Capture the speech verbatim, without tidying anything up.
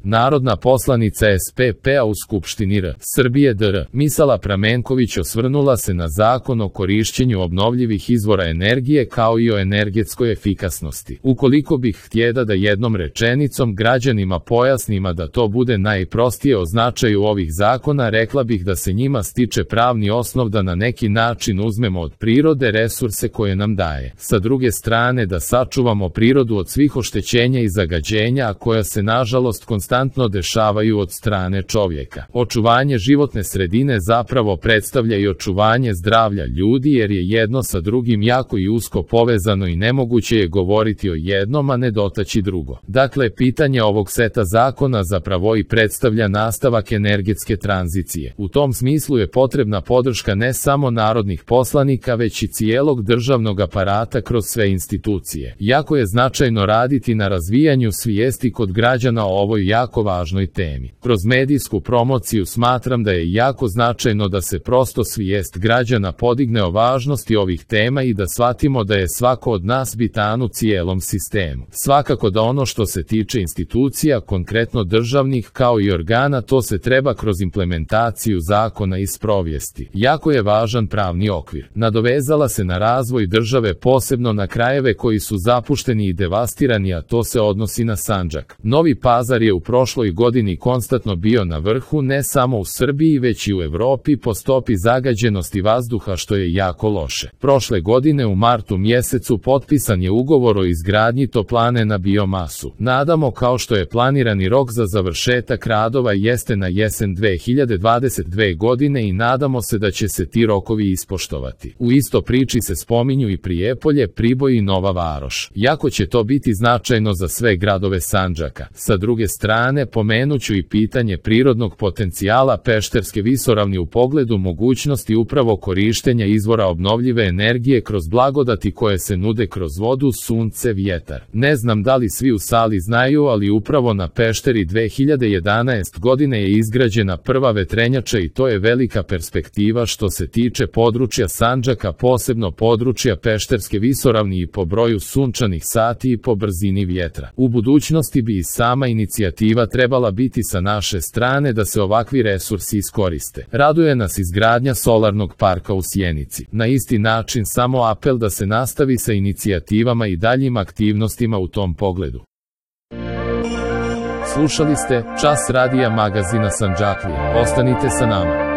Narodna poslanica S P P-a u Skupštini R Srbije D R Misala Pramenković osvrnula se na Zakon o korišćenju obnovljivih izvora energije kao i o energetskoj efikasnosti. Ukoliko bih htjela da jednom rečenicom građanima pojasnima da to bude najprostije o značaju ovih zakona, rekla bih da se njima stiče pravni osnov da na neki način uzmemo od prirode resurse koje nam daje. Sa druge strane da sačuvamo prirodu od svih oštećenja i zagađenja, a koja se nažalost konstantno dešavaju od strane čovjeka. Očuvanje životne sredine zapravo predstavlja i očuvanje zdravlja ljudi, jer je jedno sa drugim jako i usko povezano i nemoguće je govoriti o jednom, a ne dotaći drugo. Dakle, pitanje ovog seta zakona zapravo i predstavlja nastavak energetske tranzicije. U tom smislu je potrebna podrška ne samo narodnih poslanika, već i cijelog državnog aparata kroz sve institucije. Jako je značajno raditi na razvijanju svijesti kod građana o ovoj jako važnoj temi. Kroz medijsku promociju smatram da je jako značajno da se prosto svijest građana podigne o važnosti ovih tema i da shvatimo da je svako od nas bitan u cijelom sistemu. Svakako da ono što se tiče institucija, konkretno državnih kao i organa, to se treba kroz implementaciju zakona i sprovesti. Jako je važan pravni okvir. Nadovezala se na razvoj države, posebno na krajeve koji su zapušteni i devastirani, a to se odnosi na Sandžak. Novi Pazar je u prošloj godini konstantno bio na vrhu ne samo u Srbiji već i u Evropi po stopi zagađenosti vazduha, što je jako loše. Prošle godine u martu mjesecu potpisan je ugovor o izgradnji toplane na biomasu. Nadamo kao što je planirani rok za završetak radova jeste na jesen dve hiljade dvadeset dve godine i nadamo se da će se ti rokovi ispoštovati. U isto priči se spominju i Prijepolje, Priboj i Nova Varoš. Jako će to biti značajno za sve gradove Sandžaka. Sa druge strane, pomenuću i pitanje prirodnog potencijala Pešterske visoravni u pogledu mogućnosti upravo korištenja izvora obnovljive energije kroz blagodati koje se nude kroz vodu, sunce, vjetar. Ne znam da li svi u sali znaju, ali upravo na Pešteri dve hiljade jedanaeste. godine je izgrađena prva vetrenjača i to je velika perspektiva što se tiče područja Sandžaka, posebno područja Pešterske visoravni i po broju sunčanih sati i po brzini vjetra. U budućnosti bi i sama inicijativa trebala biti sa naše strane da se ovakvi resursi iskoriste. Raduje nas izgradnja solarnog parka u Sjenici. Na isti način samo apel da se nastavi sa inicijativama i daljim aktivnostima u tom pogledu. Slušali ste Čas radija magazina Sandžaklije. Ostanite sa nama.